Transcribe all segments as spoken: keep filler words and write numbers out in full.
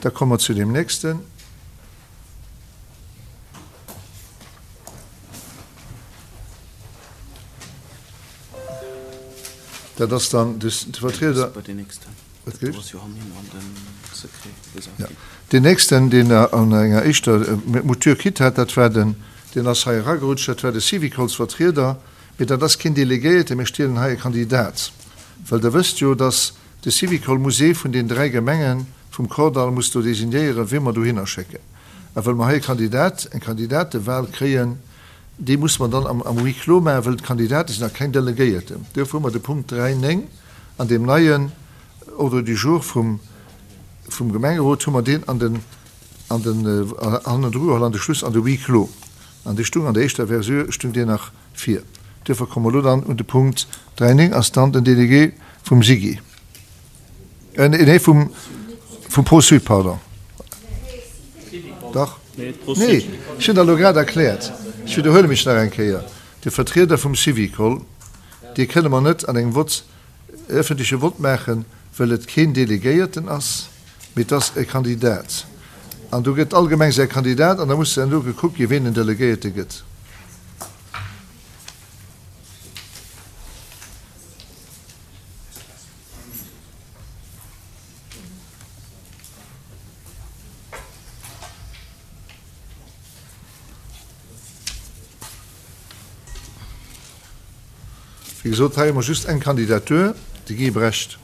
Da komme mer zu deem nächsten. Dat ass dann de Vertrieder. Deen nächsten, deen an enger éischter Mouture kritt hat, dat war den, deen ass hei eragerutscht, dat war de Syvicolsvertrieder. Mee dat ass keen Delegéierten, mir stielen hei e Kandidat. Well Der wësst jo, dass de Syvicol muss ee vun den dräi Gemenge vum Kordall muss do designéieren, wee mer dohinner schécken. A well mer hei e Kandidat, eng Kandidatewahl kréien, déi muss mer dann am, am Huis clos maachen, well d'Kandidate sinn nach keng Delegéierten. Duerfir hu mer de Punkt dräi néng an deem neien Ordre du jour vum, vum Gemengerot hu mer deen an den, an den, hannendru geholl, an de Schluss, an de Huis clos. An dee stung an der éischter Versioun, stung deen nach vir. Duerfir komme mer elo dann un de Punkt dräi néng, ass dann den Délégué vum SIGI, nee, vum, vum Pro-Sud, pardon. Dach, nee, ech hunn dat elo grad erkläert. Ech widderhuele mech nach eng Kéier, De Vertrieder vum Syvicol, dee kënne mer net an engem Vott, öffentleche Vott maachen, well et keen Delegéierten ass, mee et ass e Kandidat. An do gëtt all Gemeng säi Kandidat an da muss dann elo gekuckt ginn, ween den Delegéierte gëtt. Wéi gesot, hei hu mer just eng Kandidatur, de Guy Brecht.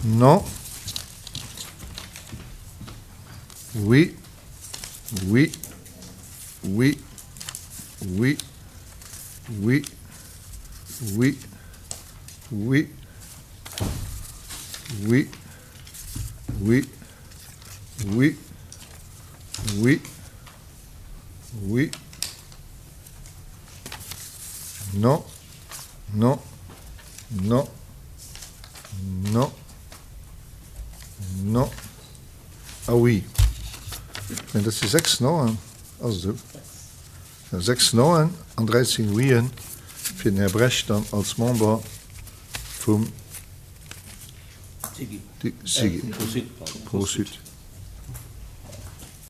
Non. Oui. Oui. Oui. Oui. Oui. Oui. Oui. Oui. Oui. Oui. Oui. Oui. Non. Non. Non. Non. Non. Ah oui. Mä dat si sechs Noen, ass et esou? Jo, sechs Noen an dräizéng Ouien fir den Här Brecht dann als Member vum SIGI, Pro-Sud.